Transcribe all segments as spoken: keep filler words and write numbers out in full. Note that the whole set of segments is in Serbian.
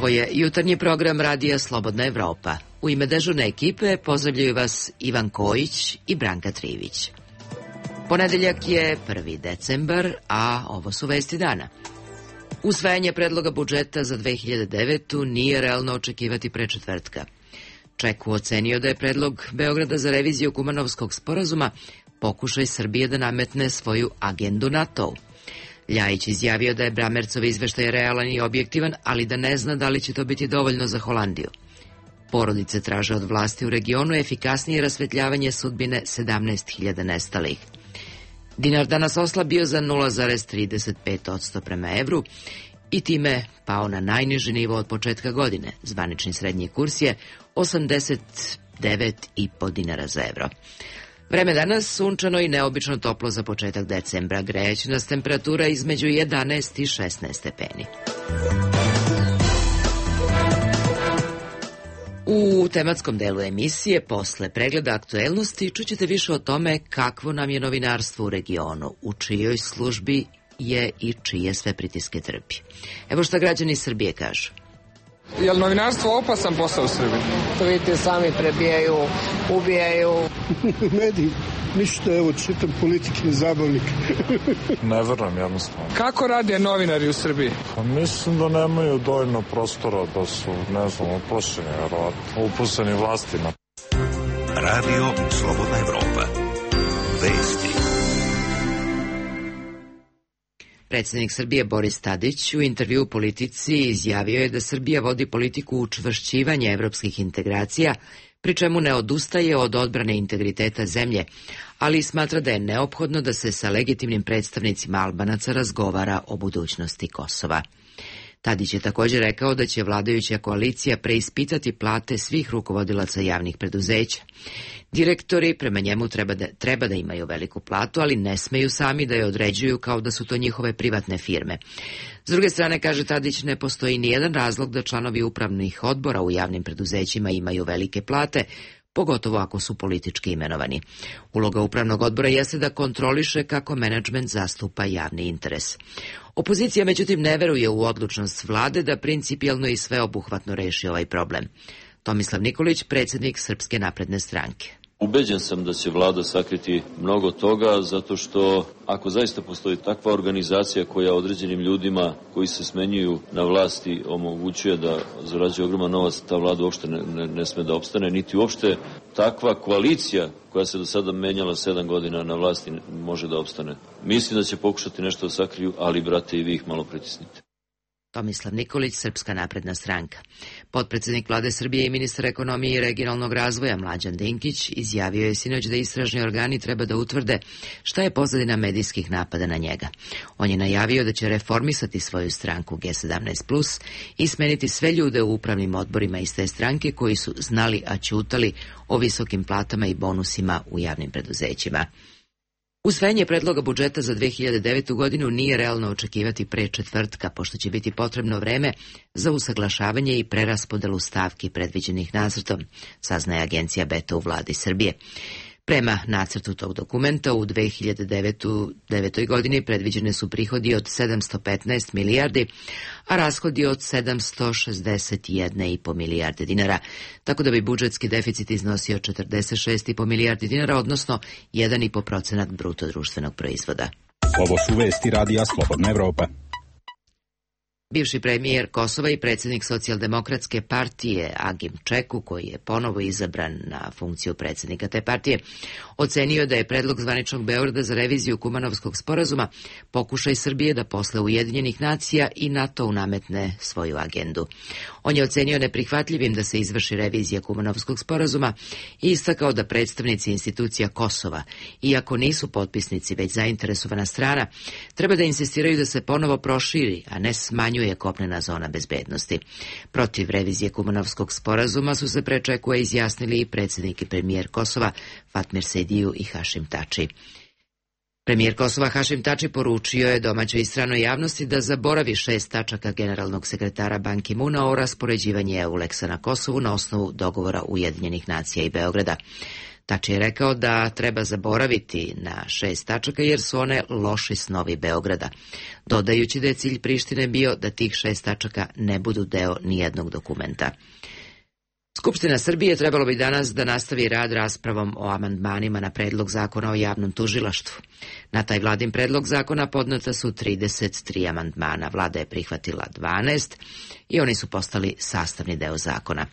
Ovo je jutarnji program Radija Slobodna Evropa. U ime dežurne ekipe pozdravljaju vas Ivan Kojić i Branka Trivić. Ponedeljak je prvi decembar, a ovo su vesti dana. Usvajanje predloga budžeta za dve hiljade devetu nije realno očekivati pre četvrtka. Čeku ocenio da je predlog Beograda za reviziju Kumanovskog sporazuma pokušaj Srbije da nametne svoju agendu NATO-u. Ljajić izjavio da je Bramercov izveštaj realan i objektivan, ali da ne zna da li će to biti dovoljno za Holandiju. Porodice traže od vlasti u regionu efikasnije rasvetljavanje sudbine sedamnaest hiljada nestalih. Dinar danas oslabio za nula zarez trideset pet posto prema evru i time pao na najniži nivo od početka godine. Zvanični srednji kurs je osamdeset devet i po dinara za evro. Vreme danas sunčano i neobično toplo za početak decembra. Grejeće nas temperatura između jedanaest i šesnaest stepeni. U tematskom delu emisije, posle pregleda aktuelnosti, čućete više o tome kakvo nam je novinarstvo u regionu, u čijoj službi je i čije sve pritiske trpi. Evo šta građani Srbije kažu. Je li novinarstvo opasan posao u Srbiji? To vidite, sami prebijaju, ubijaju. Mediji, ništa, evo, čitam politike, zabavnik. Ne verujem, jednostavno. Kako rade novinari u Srbiji? Pa mislim da nemaju dovoljno prostora, da su, ne znam, uplašeni, verovatno, uplašeni vlastima. Radio Slobodna Evropa. Vesti. Predsjednik Srbije Boris Tadić u intervju u Politici izjavio je da Srbija vodi politiku učvršćivanja evropskih integracija, pri čemu ne odustaje od odbrane integriteta zemlje, ali smatra da je neophodno da se sa legitimnim predstavnicima Albanaca razgovara o budućnosti Kosova. Tadić je također rekao da će vladajuća koalicija preispitati plate svih rukovodilaca javnih preduzeća. Direktori prema njemu treba da, treba da imaju veliku platu, ali ne smeju sami da je određuju kao da su to njihove privatne firme. S druge strane, kaže Tadić, ne postoji nijedan razlog da članovi upravnih odbora u javnim preduzećima imaju velike plate, pogotovo ako su politički imenovani. Uloga upravnog odbora jeste da kontroliše kako menadžment zastupa javni interes. Opozicija, međutim, ne veruje u odlučnost vlade da principijelno i sveobuhvatno reši ovaj problem. Tomislav Nikolić, predsjednik Srpske napredne stranke. Ubeđen sam da će vlada sakriti mnogo toga, zato što ako zaista postoji takva organizacija koja određenim ljudima koji se smenjuju na vlasti omogućuje da zarađuje ogroman novac, ta vlada uopšte ne, ne, ne sme da opstane, niti uopšte takva koalicija koja se do sada menjala sedam godina na vlasti može da opstane. Mislim da će pokušati nešto da sakriju, ali, brate, i vi ih malo pritisnite. Tomislav Nikolić, Srpska napredna stranka. Potpredsjednik vlade Srbije i ministar ekonomije i regionalnog razvoja Mlađan Dinkić izjavio je sinoć da istražni organi treba da utvrde šta je pozadina medijskih napada na njega. On je najavio da će reformisati svoju stranku G sedamnaest plus i smeniti sve ljude u upravnim odborima iz te stranke koji su znali, a ćutali o visokim platama i bonusima u javnim preduzećima. Usvajanje predloga budžeta za dve hiljade devetu godinu nije realno očekivati pre četvrtka, pošto će biti potrebno vreme za usaglašavanje i preraspodelu stavki predviđenih nacrtom, saznaje agencija Beta u vladi Srbije. Prema nacrtu tog dokumenta u dve hiljade devetoj godini predviđene su prihodi od sedamsto petnaest milijardi, a rashodi od sedamsto šezdeset jedna i po milijarde dinara, tako da bi budžetski deficit iznosio četrdeset šest i po milijardi dinara, odnosno jedan i po procenat bruto društvenog proizvoda. Ovo su vesti Radija Slobodna Evropa. Bivši premijer Kosova i predsjednik Socijaldemokratske partije Agim Čeku, koji je ponovo izabran na funkciju predsjednika te partije, ocenio da je predlog zvaničnog Beograda za reviziju Kumanovskog sporazuma pokušaj Srbije da posle Ujedinjenih nacija i NATO nametne svoju agendu. On je ocenio neprihvatljivim da se izvrši revizija Kumanovskog sporazuma i istakao da predstavnici institucija Kosova, iako nisu potpisnici već zainteresovana strana, treba da insistiraju da se ponovo proširi, a ne smanjuje je kopnena zona bezbednosti. Protiv revizije Kumanovskog sporazuma su se pre Čekua izjasnili i predsjednik i premijer Kosova Fatmir Sejdiju i Hašim Tači. Premijer Kosova Hašim Tači poručio je domaćoj i stranoj javnosti da zaboravi šest tačaka generalnog sekretara Ban Ki-muna o raspoređivanju Euleksa na Kosovu na osnovu dogovora Ujedinjenih nacija i Beograda. Tači je rekao da treba zaboraviti na šest tačaka jer su one loši snovi Beograda, dodajući da je cilj Prištine bio da tih šest tačaka ne budu deo nijednog dokumenta. Skupština Srbije trebalo bi danas da nastavi rad raspravom o amandmanima na predlog zakona o javnom tužilaštvu. Na taj vladin predlog zakona podneta su trideset tri amandmana, vlada je prihvatila dvanaest i oni su postali sastavni deo zakona.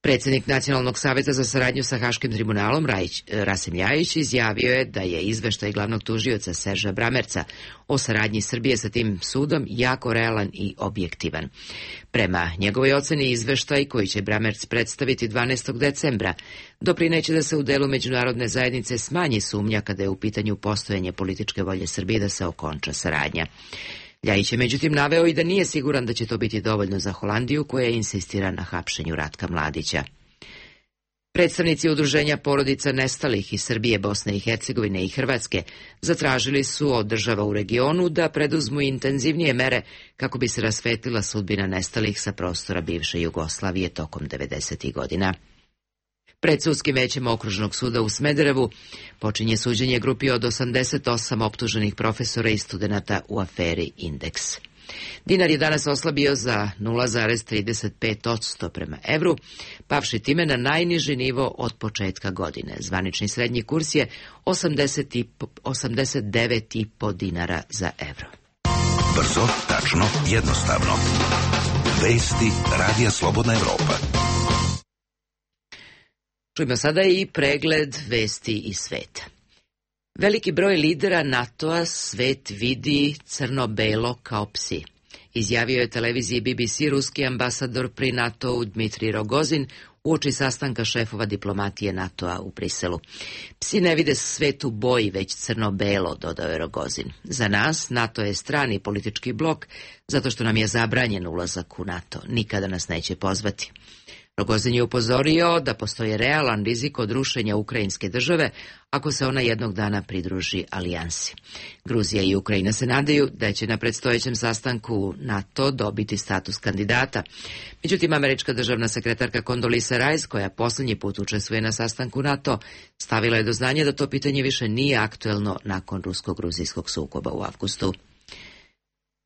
Predsjednik Nacionalnog savjeta za saradnju sa Haškim tribunalom Rajić, Rasim Ljajić izjavio je da je izveštaj glavnog tužioca Serža Bramerca o saradnji Srbije sa tim sudom jako realan i objektivan. Prema njegovoj oceni izveštaj koji će Bramerc predstaviti dvanaestog decembra doprineće da se u delu međunarodne zajednice smanji sumnja kada je u pitanju postojanje političke volje Srbije da se okonča saradnja. Ljajić je međutim naveo i da nije siguran da će to biti dovoljno za Holandiju koja insistira na hapšenju Ratka Mladića. Predstavnici udruženja porodica nestalih iz Srbije, Bosne i Hercegovine i Hrvatske zatražili su od država u regionu da preduzmu intenzivnije mere kako bi se rasvetlila sudbina nestalih sa prostora bivše Jugoslavije tokom devedesetih godina. Pred sudskim većem Okružnog suda u Smederevu počinje suđenje grupi od osamdeset osam optuženih profesora i studenata u aferi Indeks. Dinar je danas oslabio za nula zarez trideset pet posto prema evru, pavši time na najniži nivo od početka godine. Zvanični srednji kurs je osamdeset devet i po dinara za evro. Brzo, tačno, jednostavno. Vesti Radija Slobodna Evropa. Čujemo sada i pregled vesti iz sveta. Veliki broj lidera NATO-a svet vidi crno-belo kao psi. Izjavio je televiziji B B C ruski ambasador pri NATO-u Dmitrij Rogozin uoči sastanka šefova diplomatije NATO-a u Briselu. Psi ne vide svet u boji, već crno-belo, dodao je Rogozin. Za nas NATO je strani politički blok zato što nam je zabranjen ulazak u NATO. Nikada nas neće pozvati. Rogozin je upozorio da postoji realan rizik od rušenja ukrajinske države ako se ona jednog dana pridruži alijansi. Gruzija i Ukrajina se nadaju da će na predstojećem sastanku NATO dobiti status kandidata. Međutim, američka državna sekretarka Condoleezza Rice, koja posljednji put učestvuje na sastanku NATO, stavila je do znanja da to pitanje više nije aktuelno nakon rusko-gruzijskog sukoba u avgustu.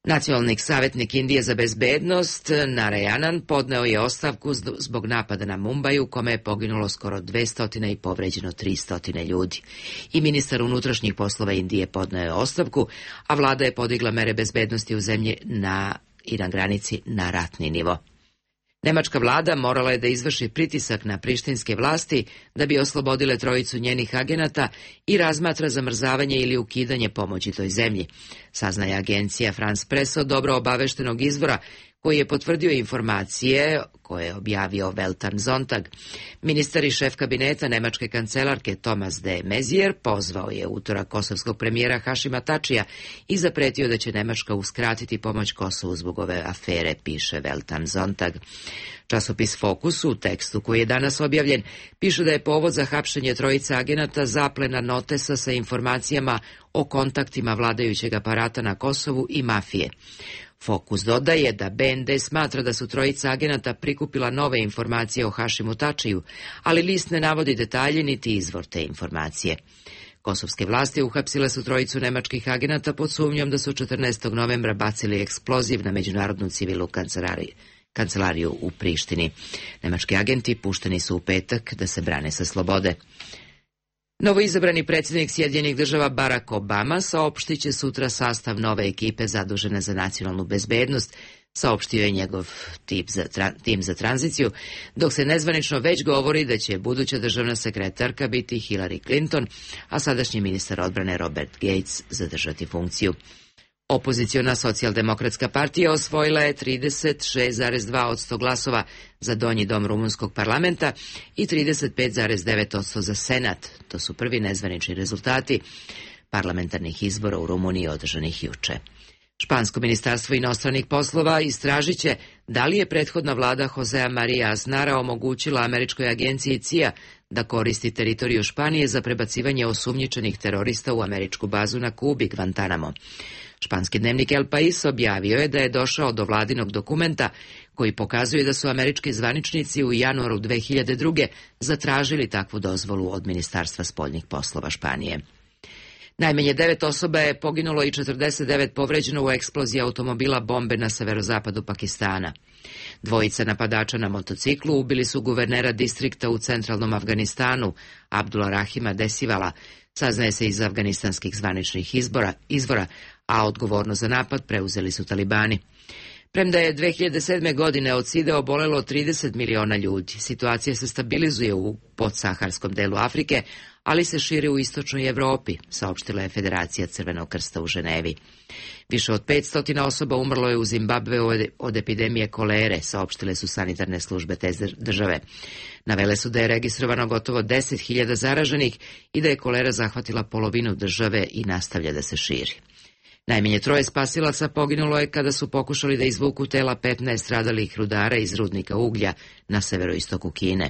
Nacionalni savjetnik Indije za bezbednost Narayanan podneo je ostavku zbog napada na Mumbai u kome je poginulo skoro dvesta i povređeno tristo ljudi. I ministar unutrašnjih poslova Indije podneo je ostavku, a vlada je podigla mere bezbednosti u zemlji na, i na granici na ratni nivo. Nemačka vlada morala je da izvrši pritisak na prištinske vlasti da bi oslobodile trojicu njenih agenata i razmatra zamrzavanje ili ukidanje pomoći toj zemlji. Saznaje agencija France Press od dobro obaveštenog izvora koji je potvrdio informacije koje je objavio Welt am Sonntag. Ministar i šef kabineta nemačke kancelarke Thomas de Maizière pozvao je utorak kosovskog premijera Hašima Tačija i zapretio da će Nemačka uskratiti pomoć Kosovu zbog ove afere, piše Welt am Sonntag. Časopis Fokus u tekstu koji je danas objavljen piše da je povod za hapšenje trojica agenata zaplena notesa sa informacijama o kontaktima vladajućeg aparata na Kosovu i mafije. Fokus dodaje da B N D smatra da su trojica agenata prikupila nove informacije o Hašimu Tačiju, ali list ne navodi detalje niti izvor te informacije. Kosovske vlasti uhapsile su trojicu nemačkih agenata pod sumnjom da su četrnaestog novembra bacili eksploziv na međunarodnu civilnu kancelariju. kancelariju u Prištini. Nemački agenti pušteni su u petak da se brane sa slobode. Novoizabrani predsjednik Sjedinjenih država Barack Obama saopštit će sutra sastav nove ekipe zadužene za nacionalnu bezbednost, saopštio je njegov tim za, tra, tim za tranziciju, dok se nezvanično već govori da će buduća državna sekretarka biti Hillary Clinton, a sadašnji ministar odbrane Robert Gates zadržati funkciju. Opoziciona socijaldemokratska partija osvojila je trideset šest zarez dva posto glasova za donji dom rumunskog parlamenta i trideset pet zarez devet posto za senat. To su prvi nezvanični rezultati parlamentarnih izbora u Rumuniji održanih juče. Špansko ministarstvo inostranih poslova istražit će da li je prethodna vlada Josea Maria Aznara omogućila američkoj agenciji C I A da koristi teritoriju Španije za prebacivanje osumnjičenih terorista u američku bazu na Kubi, Guantanamo. Španski dnevnik El País objavio je da je došao do vladinog dokumenta koji pokazuje da su američki zvaničnici u januaru dve hiljade druge. zatražili takvu dozvolu od Ministarstva spoljnih poslova Španije. Najmanje devet osoba je poginulo i četrdeset devet povređeno u eksploziji automobila bombe na severozapadu Pakistana. Dvojica napadača na motociklu ubili su guvernera distrikta u centralnom Afganistanu, Abdullah Rahima Desivala, saznaje se iz afganistanskih zvaničnih izbora, izvora, a odgovornost za napad preuzeli su talibani. Premda je dve hiljade sedme. godine od side obolelo trideset miliona ljudi, situacija se stabilizuje u podsaharskom delu Afrike, ali se širi u istočnoj Evropi, saopštila je Federacija Crvenog krsta u Ženevi. Više od petsto osoba umrlo je u Zimbabveu od epidemije kolere, saopštile su sanitarne službe te države. Navele su da je registrovano gotovo deset hiljada zaraženih i da je kolera zahvatila polovinu države i nastavlja da se širi. Najmanje troje spasilaca poginulo je kada su pokušali da izvuku tela petnaest stradalih rudara iz rudnika uglja na severoistoku Kine.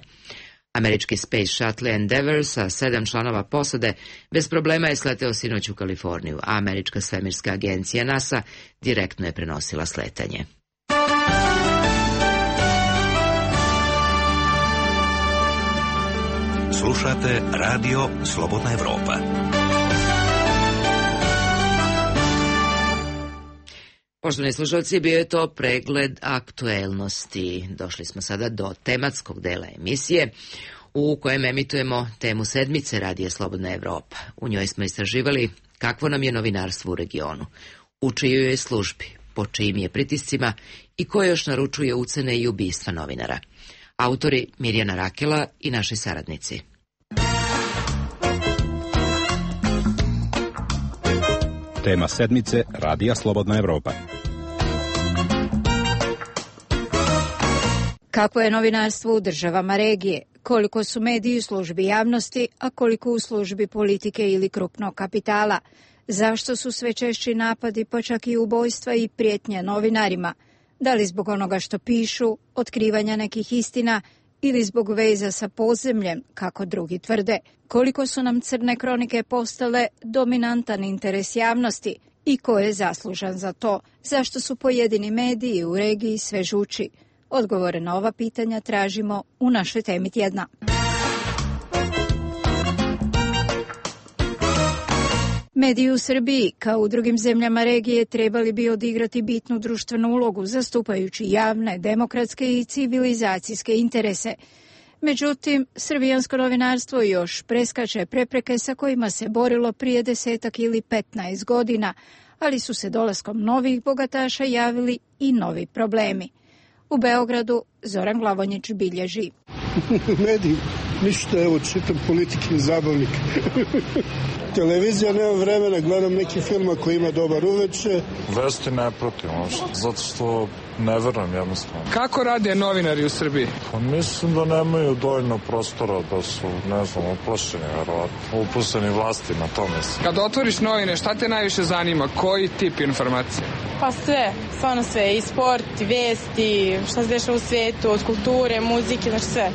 Američki Space Shuttle Endeavour sa sedam članova posade bez problema je sleteo sinoć u Kaliforniju, a američka svemirska agencija NASA direktno je prenosila sletanje. Slušate Radio Slobodna Evropa. Poštovani slušalci, bio je to pregled aktuelnosti. Došli smo sada do tematskog dela emisije u kojem emitujemo temu sedmice Radija Slobodna Evropa. U njoj smo istraživali kakvo nam je novinarstvo u regionu, u čijoj je službi, po čijim je pritiscima i ko još naručuje ucene i ubistva novinara. Autori Mirjana Rakela i naši saradnici. Tema sedmice Radija Slobodna Evropa. Kako je novinarstvo u državama regije? Koliko su mediji u službi javnosti, a koliko u službi politike ili krupnog kapitala? Zašto su sve češći napadi, pa čak i ubojstva i prijetnje novinarima? Da li zbog onoga što pišu, otkrivanja nekih istina ili zbog veza sa podzemljem, kako drugi tvrde? Koliko su nam crne kronike postale dominantan interes javnosti i ko je zaslužan za to? Zašto su pojedini mediji u regiji sve žuči? Odgovore na ova pitanja tražimo u našoj temi tjedna. Mediji u Srbiji, kao u drugim zemljama regije, trebali bi odigrati bitnu društvenu ulogu, zastupajući javne, demokratske i civilizacijske interese. Međutim, srbijansko novinarstvo još preskače prepreke sa kojima se borilo prije desetak ili petnaest godina, ali su se dolaskom novih bogataša javili i novi problemi. U Beogradu Zoran Glavonjić bilježi. Mediji, ništa, evo, čitam Politikin zabavnik. Televizija, nema vremena, gledam neki film koji ima dobar uveče. Vesti ne pratim, zato što ne verujem jednostavno. Kako rade novinari u Srbiji? Pa mislim da nemaju dovoljno prostora, da su, ne znam, uplašeni, verovatno. Upušteni vlasti na to mislim. Kad otvoriš novine, šta te najviše zanima? Koji tip informacije? Pa sve, stvarno sve. I sport, i vesti, šta se dešava u svijetu, od kulture, muzike, znači sve.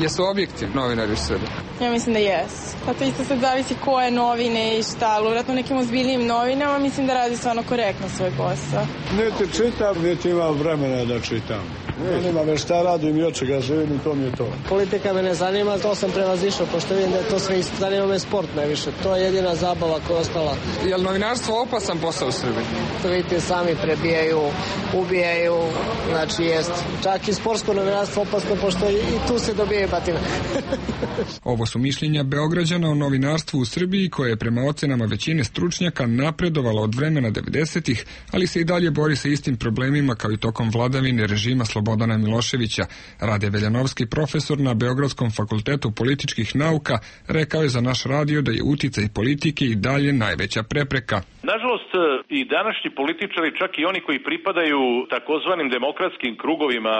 Jesu objektivni novinari u Srbiji? Ja mislim da jesu. Pa to isto sad zavisi koje novine i šta, ali vjerojatno nekim ozbiljnijim novinama mislim da radi stvarno korektno svoj posao. Niti čitam, niti imam vremena da čitam. Ne nema me šta radim i od čega živim i to mi je to. Politika me ne zanima, to sam prevazišao, pošto vidim da je to sve isto. Zanima me sport najviše, to je jedina zabava koja je ostala. Je li novinarstvo opasan posao u Srbiji? To vidite, sami prebijaju, ubijaju, znači jest. Čak i sportsko novinarstvo opasno, pošto i tu se dobije batina. Ovo su mišljenja Beograđana o novinarstvu u Srbiji, koje je prema ocenama većine stručnjaka napredovalo od vremena devedesetih, ali se i dalje bori sa istim problemima kao i tokom vladavine režima Slobodana Miloševića. Rade Veljanovski, profesor na Beogradskom fakultetu političkih nauka, rekao je za naš radio da je uticaj politike i dalje najveća prepreka. Nažalost, i današnji političari, čak i oni koji pripadaju takozvanim demokratskim krugovima,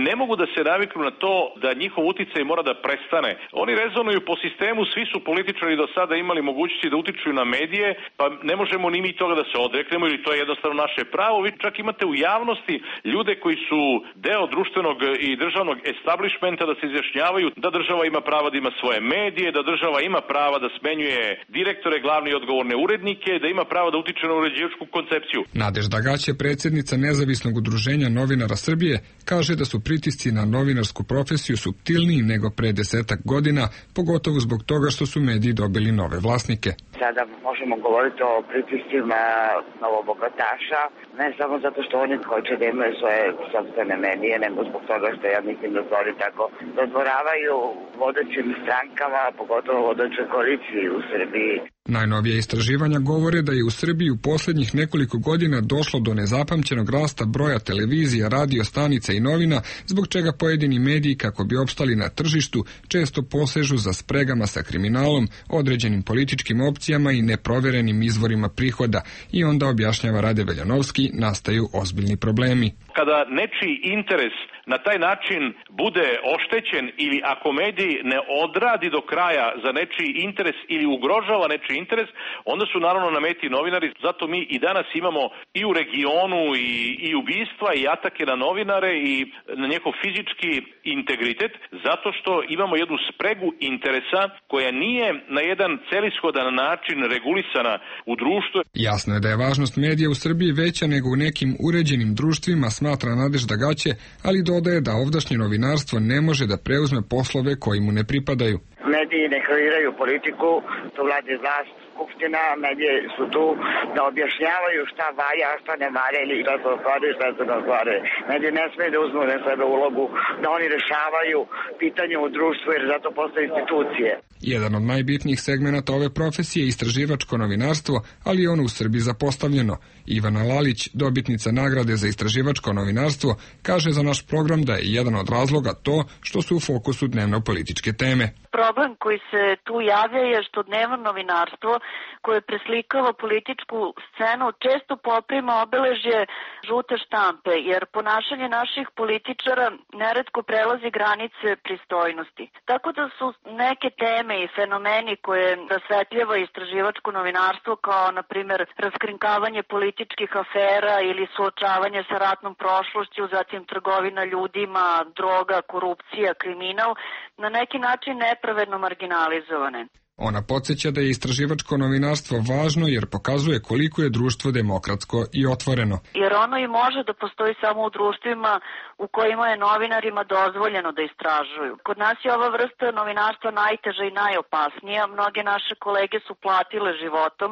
ne mogu da se naviknu na to da njihov uticaj mora da prestane. Oni rezonuju funkcionišu po sistemu, svi su političari do sada imali mogućnosti da utiču na medije, pa ne možemo ni mi toga da se odreknemo, ili to je jednostavno naše pravo. Vi čak imate u javnosti ljude koji su deo društvenog i državnog establishmenta da se izjašnjavaju da država ima prava da ima svoje medije, da država ima prava da smenjuje direktore, glavne i odgovorne urednike, da ima pravo da utiče na uređivačku koncepciju. Nadežda Gaće, predsjednica Nezavisnog udruženja novinara Srbije, kaže da su pritisci na novinarsku profesiju suptilniji nego pre desetak godina, pogotovo zbog toga što su mediji dobili nove vlasnike. Sada možemo govoriti o pritiscima novobogataša, ne samo zato što oni hoće da imaju svoje sopstvene medije, nego zbog toga što ja mislim da oni tako dodvoravaju vodećim strankama, pogotovo vodećoj koaliciji u Srbiji. Najnovije istraživanja govore da je u Srbiji u posljednjih nekoliko godina došlo do nezapamćenog rasta broja televizija, radio stanica i novina, zbog čega pojedini mediji, kako bi opstali na tržištu, često posežu za spregama sa kriminalom, određenim političkim opcijama i neproverenim izvorima prihoda, i onda, objašnjava Rade Veljanovski, nastaju ozbiljni problemi. Kada nečiji interes na taj način bude oštećen ili ako medij ne odradi do kraja za nečiji interes ili ugrožava nečiji interes, onda su naravno na meti novinari. Zato mi i danas imamo i u regionu i, i ubistva i atake na novinare i na njihov fizički integritet, zato što imamo jednu spregu interesa koja nije na jedan celishodan način regulisana u društvu. Jasno je da je važnost medija u Srbiji veća nego u nekim uređenim društvima, smatra Nadežda Gaće, ali dodaje da ovdašnje novinarstvo ne može da preuzme poslove koji mu ne pripadaju. Mediji ne kreiraju politiku, to vladi vlast, skupština, mediji su tu da objašnjavaju šta valja, šta ne valja ili šta se ostvaruje, šta se ne ostvaruje. Mediji ne smije da uzmu na sebe ulogu da oni rešavaju pitanje u društvu, jer zato postoje institucije. Jedan od najbitnijih segmenata ove profesije je istraživačko novinarstvo, ali je ono u Srbiji zapostavljeno. Ivana Lalić, dobitnica nagrade za istraživačko novinarstvo, kaže za naš program da je jedan od razloga to što su u fokusu dnevno-političke teme. Problem koji se tu javlja je što dnevno novinarstvo koje preslikava političku scenu često poprima obeležje žute štampe, jer ponašanje naših političara neretko prelazi granice pristojnosti. Tako da su neke teme i fenomeni koje rasvetljava istraživačko novinarstvo, kao na primjer raskrinkavanje političkih afera ili suočavanje sa ratnom prošlošću, zatim trgovina ljudima, droga, korupcija, kriminal, na neki način nepravedno marginalizovane. Ona podsjeća da je istraživačko novinarstvo važno jer pokazuje koliko je društvo demokratsko i otvoreno. Jer ono i može da postoji samo u društvima u kojima je novinarima dozvoljeno da istražuju. Kod nas je ova vrsta novinarstva najteža i najopasnija. Mnoge naše kolege su platile životom.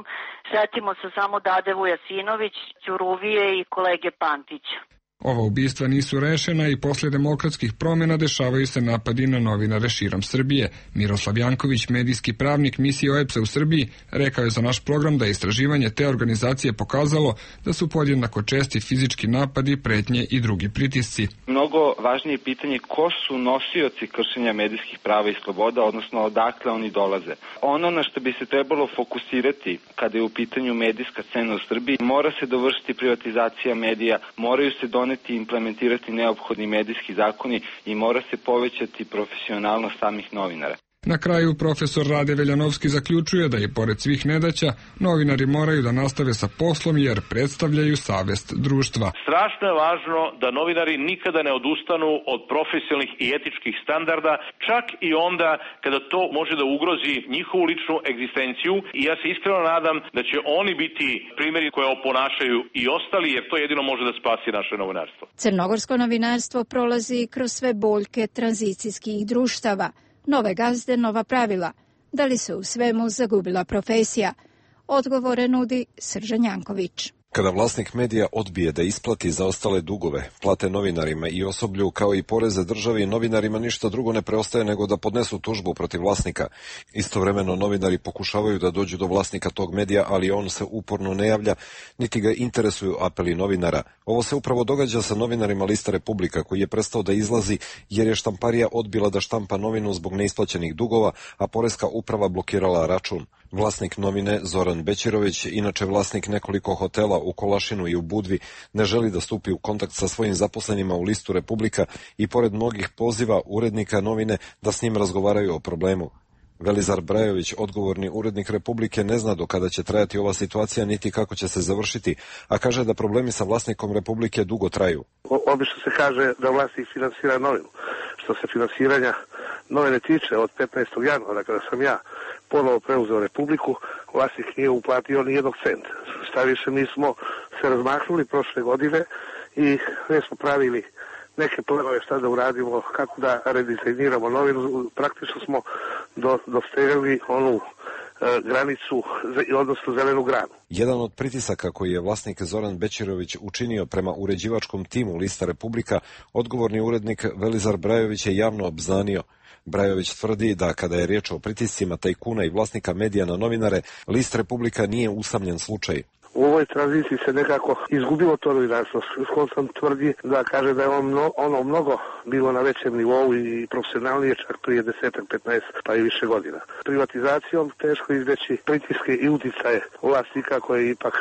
Setimo se samo Dade Vujasinović, Ćuruvije i kolege Pantića. Ova ubistva nisu rešena i posle demokratskih promjena dešavaju se napadi na novinare širom Srbije. Miroslav Janković, medijski pravnik misije O E P S-a u Srbiji, rekao je za naš program da je istraživanje te organizacije pokazalo da su podjednako česti fizički napadi, pretnje i drugi pritisci. Mnogo važnije pitanje ko su nosioci kršenja medijskih prava i sloboda, odnosno odakle oni dolaze. Ono na što bi se trebalo fokusirati kada je u pitanju medijska scena u Srbiji, mora se dovršiti privatizacija medija, moraju se doneti i implementirati neophodni medijski zakoni i mora se povećati profesionalnost samih novinara. Na kraju profesor Rade Veljanovski zaključuje da je pored svih nedaća novinari moraju da nastave sa poslom jer predstavljaju savest društva. Strašno je važno da novinari nikada ne odustanu od profesionalnih i etičkih standarda, čak i onda kada to može da ugrozi njihovu ličnu egzistenciju, i ja se iskreno nadam da će oni biti primjeri koje oponašaju i ostali, jer to jedino može da spasi naše novinarstvo. Crnogorsko novinarstvo prolazi kroz sve boljke tranzicijskih društava. Nove gazde, nova pravila. Da li se u svemu zagubila profesija? Odgovore nudi Sržan Janković. Kada vlasnik medija odbije da isplati zaostale dugove, plate novinarima i osoblju kao i poreze državi, novinarima ništa drugo ne preostaje nego da podnesu tužbu protiv vlasnika. Istovremeno novinari pokušavaju da dođu do vlasnika tog medija, ali on se uporno ne javlja, niti ga interesuju apeli novinara. Ovo se upravo događa sa novinarima Lista Republika, koji je prestao da izlazi jer je štamparija odbila da štampa novinu zbog neisplaćenih dugova, a poreska uprava blokirala račun. Vlasnik novine Zoran Bećirović, inače vlasnik nekoliko hotela u Kolašinu i u Budvi, ne želi da stupi u kontakt sa svojim zaposlenima u Listu Republika i pored mnogih poziva urednika novine da s njim razgovaraju o problemu. Velizar Brajović, odgovorni urednik Republike, ne zna do kada će trajati ova situacija niti kako će se završiti, a kaže da problemi sa vlasnikom Republike dugo traju. Obično se kaže da vlasnik finansira novinu. Što se finansiranja novine tiče, od petnaestog januara kada sam ja ponovo preuzeo Republiku, vlasnik nije uplatio ni jednog centa. Šta više, mi smo se razmahnuli prošle godine i ne smo pravili neke planove šta da uradimo, kako da redizajniramo novinu. Praktično smo do, dostegnuli onu e, granicu, odnosno zelenu granu. Jedan od pritisaka koji je vlasnik Zoran Bećirović učinio prema uređivačkom timu lista Republika, odgovorni urednik Velizar Brajović je javno obznanio. Brajović tvrdi da kada je riječ o pritiscima tajkuna i vlasnika medija na novinare, list Republika nije usamljen slučaj. U ovoj tranziciji se nekako izgubilo to novinarstvo. Skonsan tvrdi da kaže da je on mno, ono mnogo bilo na većem nivou i profesionalnije čak prije desetak, petnaest pa i više godina. Privatizacijom teško izbjeći pritiske i uticaje vlasnika koje ipak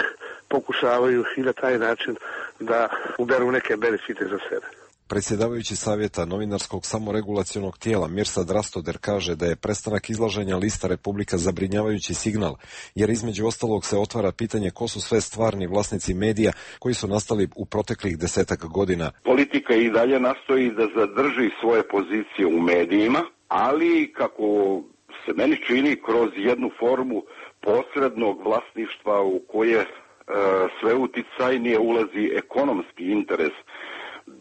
pokušavaju i na taj način da uberu neke benefite za sebe. Predsjedavajući savjeta novinarskog samoregulacionog tijela Mirsad Rastoder kaže da je prestanak izlaženja lista Republika zabrinjavajući signal, jer između ostalog se otvara pitanje ko su sve stvarni vlasnici medija koji su nastali u proteklih desetak godina. Politika i dalje nastoji da zadrži svoje pozicije u medijima, ali kako se meni čini kroz jednu formu posrednog vlasništva u koje e, sve uticajnije ulazi ekonomski interes,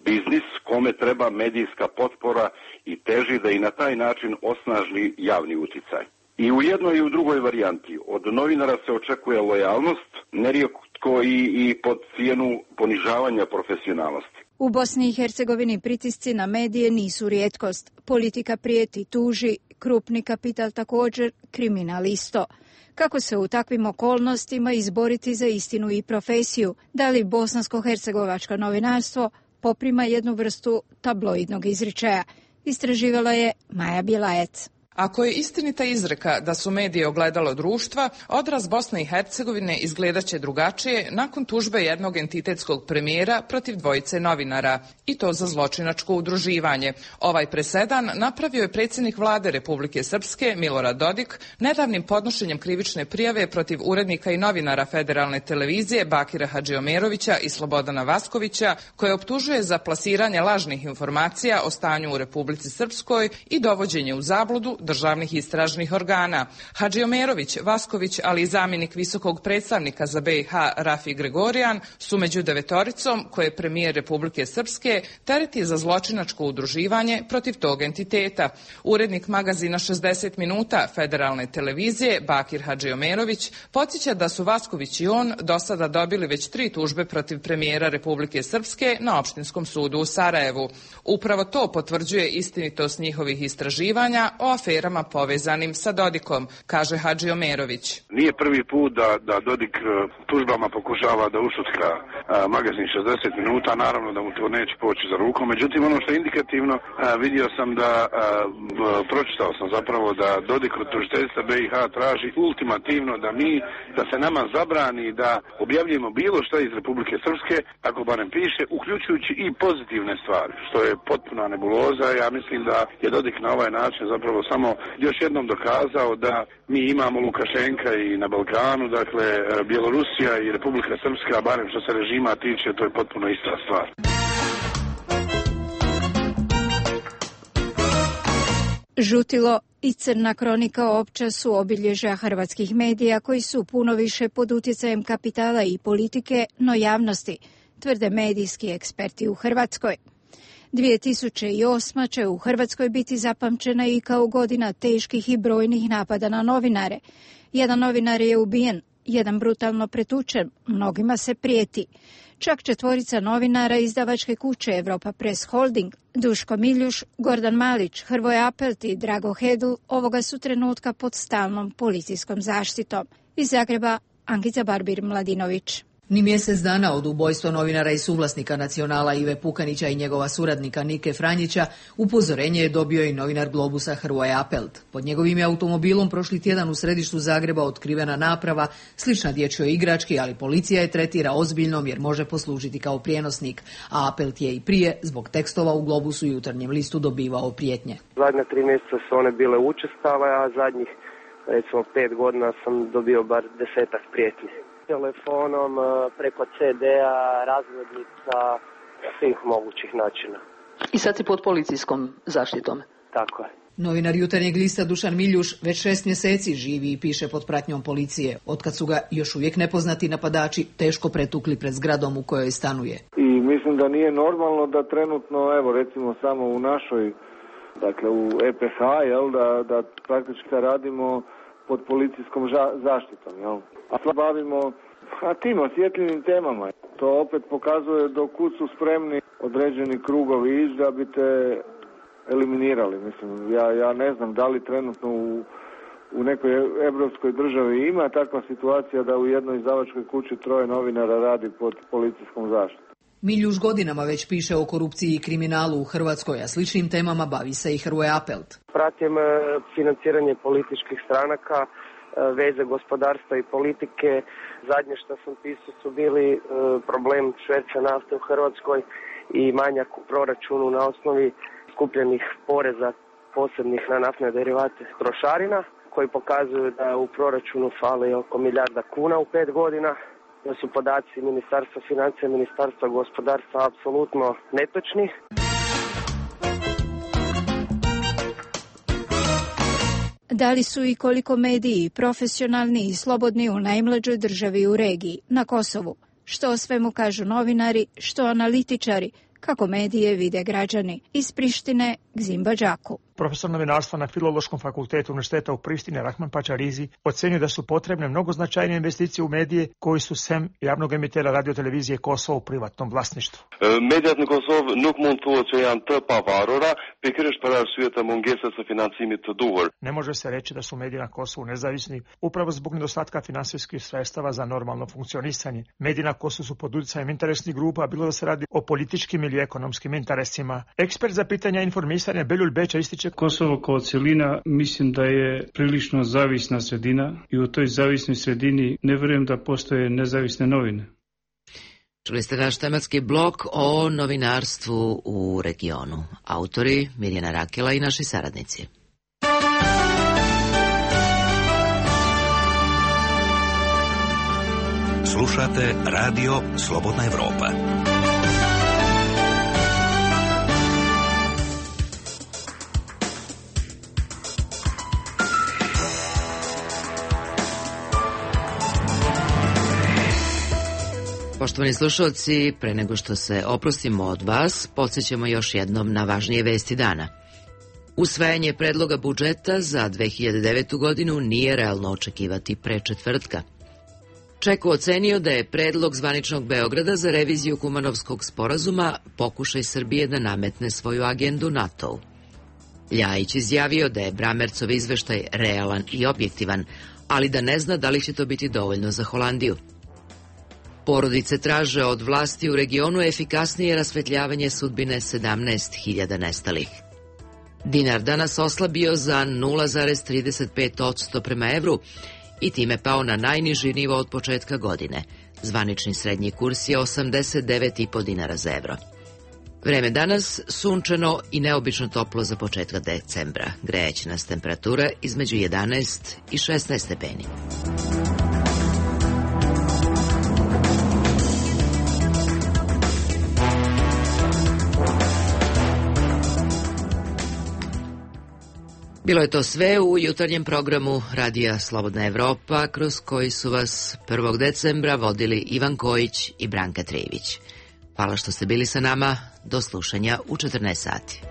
biznis kome treba medijska potpora i teži da i na taj način osnaži javni uticaj. I u jednoj i u drugoj varijanti od novinara se očekuje lojalnost, nerijetko i, i pod cijenu ponižavanja profesionalnosti. U Bosni i Hercegovini pritisci na medije nisu rijetkost. Politika prijeti, tuži, krupni kapital također, kriminal isto. Kako se u takvim okolnostima izboriti za istinu i profesiju? Da li bosansko-hercegovačko novinarstvo poprima jednu vrstu tabloidnog izričaja? Istraživala je Maja Bjelajec. Ako je istinita izreka da su mediji ogledalo društva, odraz Bosne i Hercegovine izgledaće drugačije nakon tužbe jednog entitetskog premijera protiv dvojice novinara, i to za zločinačko udruživanje. Ovaj presedan napravio je predsjednik vlade Republike Srpske Milorad Dodik nedavnim podnošenjem krivične prijave protiv urednika i novinara Federalne televizije Bakira Hadžiomerovića i Slobodana Vaskovića, koje optužuje za plasiranje lažnih informacija o stanju u Republici Srpskoj i dovođenje u zabludu državnih istražnih organa. Hadžiomerović, Vasković, ali i zamjenik visokog predstavnika za B i H Rafi Gregorijan su među devetoricom koje premijer Republike Srpske tereti za zločinačko udruživanje protiv tog entiteta. Urednik magazina šezdeset minuta Federalne televizije Bakir Hadžiomerović podsjeća da su Vasković i on do sada dobili već tri tužbe protiv premijera Republike Srpske na Opštinskom sudu u Sarajevu. Upravo to potvrđuje istinitost njihovih istraživanja o aferama povezanim sa Dodikom, kaže Hadžiomerović. Nije prvi put da, da Dodik tužbama pokušava da ušutka a, magazin šezdeset minuta, naravno da mu to neće poći za rukom. Međutim, ono što je indikativno, a, vidio sam da, a, pročitao sam zapravo da Dodik od tužiteljstva B i H traži ultimativno da mi, da se nama zabrani da objavljujemo bilo što iz Republike Srpske, ako barem piše, uključujući i pozitivne stvari, što je potpuna nebuloza. Ja mislim da je Dodik na ovaj način zapravo samo još jednom dokazao da mi imamo Lukašenka i na Balkanu, dakle Bjelorusija i Republika Srpska, barem što se režima tiče, to je potpuno ista stvar. Žutilo i crna kronika opća su obilježja hrvatskih medija koji su puno više pod utjecajem kapitala i politike, no javnosti, tvrde medijski eksperti u Hrvatskoj. dvije tisuće osma će u Hrvatskoj biti zapamćena i kao godina teških i brojnih napada na novinare. Jedan novinar je ubijen, jedan brutalno pretučen, mnogima se prijeti. Čak četvorica novinara izdavačke kuće Europa Press Holding, Duško Miljuš, Gordan Malić, Hrvoje Apelt i Drago Hedl ovoga su trenutka pod stalnom policijskom zaštitom. Iz Zagreba, Ankica Barbir Mladinović. Ni mjesec dana od ubojstva novinara i suvlasnika Nacionala Ive Pukanića i njegova suradnika Nike Franjića, upozorenje je dobio i novinar Globusa Hrvoje Apelt. Pod njegovim je automobilom prošli tjedan u središtu Zagreba otkrivena naprava, slična dječjoj igrački, ali policija je tretira ozbiljnom jer može poslužiti kao prijenosnik, a Apelt je i prije, zbog tekstova u Globusu i Jutarnjem listu, dobivao prijetnje. Zadnja tri mjeseca su one bile učestale, a zadnjih recimo pet godina sam dobio bar desetak prijetnji. Telefonom, preko ce de-a, razglednica, svih mogućih načina. I sad si pod policijskom zaštitom? Tako je. Novinar Jutarnjeg lista Dušan Miljuš već šest mjeseci živi i piše pod pratnjom policije, otkad su ga još uvijek nepoznati napadači teško pretukli pred zgradom u kojoj stanuje. I mislim da nije normalno da trenutno, evo recimo samo u našoj, dakle u e pe ha, jel, da, da praktički radimo pod policijskom ža- zaštitom, jel? A sad bavimo a tim osjetljivim temama. To opet pokazuje do kud su spremni određeni krugovi ići da bi te eliminirali. Mislim, ja, ja ne znam da li trenutno u, u nekoj evropskoj državi ima takva situacija da u jednoj izdavačkoj kući troje novinara radi pod policijskom zaštitom. Miljuš godinama već piše o korupciji i kriminalu u Hrvatskoj, a sličnim temama bavi se i Hrvoje Apelt. Pratim financiranje političkih stranaka, veze gospodarstva i politike. Zadnje što sam pisao su bili problem šverca nafte u Hrvatskoj i manjak u proračunu na osnovi skupljenih poreza posebnih na naftne derivate trošarina, koji pokazuju da u proračunu fali oko milijarda kuna u pet godina. Da su podaci Ministarstva financija i Ministarstva gospodarstva apsolutno netočni. Da li su i koliko mediji profesionalni i slobodni u najmlađoj državi u regiji, na Kosovu? Što o svemu kažu novinari, što analitičari, kako medije vide građani? Iz Prištine, Gzim Badžaku. Profesor novinarstva na Filološkom fakultetu Univerziteta u Prištini Rahman Pačarizi ocenio da su potrebne mnogo značajnije investicije u medije koji su sem javnog emitera radiotelevizije Kosovo u privatnom vlasništvu. Mediat në Kosovë nuk mund thuhet që janë të pavarura, pikërisht për arsye të mungesës së financimit të duhur. Ne može se reći da su mediji na Kosovu nezavisni upravo zbog nedostatka finansijskih sredstava za normalno funkcionisanje. Mediji na Kosovu su pod utjecajem interesnih grupa, bilo da se radi o političkim ili ekonomskim interesima. Ekspert za pitanja informisanja Beljul Beća ističe: Kosovo kao cjelina mislim da je prilično zavisna sredina i u toj zavisnoj sredini ne vjerujem da postoje nezavisne novine. Čuli ste naš tematski blok o novinarstvu u regionu. Autori Mirjana Rakela i naši saradnici. Slušate Radio Slobodna Evropa. Poštovani slušalci, pre nego što se oprostimo od vas, podsjećamo još jednom na važnije vesti dana. Usvajanje predloga budžeta za dve hiljade devetu. godinu nije realno očekivati pre četvrtka. Čeko ocenio da je predlog zvaničnog Beograda za reviziju Kumanovskog sporazuma pokušaj Srbije da nametne svoju agendu NATO-u. Ljajić izjavio da je Bramercov izveštaj realan i objektivan, ali da ne zna da li će to biti dovoljno za Holandiju. Porodice traže od vlasti u regionu efikasnije rasvetljavanje sudbine sedamnaest hiljada nestalih. Dinar danas oslabio za nula zarez trideset pet posto prema evru i time pao na najniži nivo od početka godine. Zvanični srednji kurs je osamdeset devet i po dinara za evro. Vreme danas sunčano i neobično toplo za početka decembra. Grejeće nas temperatura između jedanaest i šesnaest stepeni. Bilo je to sve u jutarnjem programu Radija Slobodna Evropa, kroz koji su vas prvog decembra vodili Ivan Kojić i Branka Trivić. Hvala što ste bili sa nama. Do slušanja u četrnaest sati.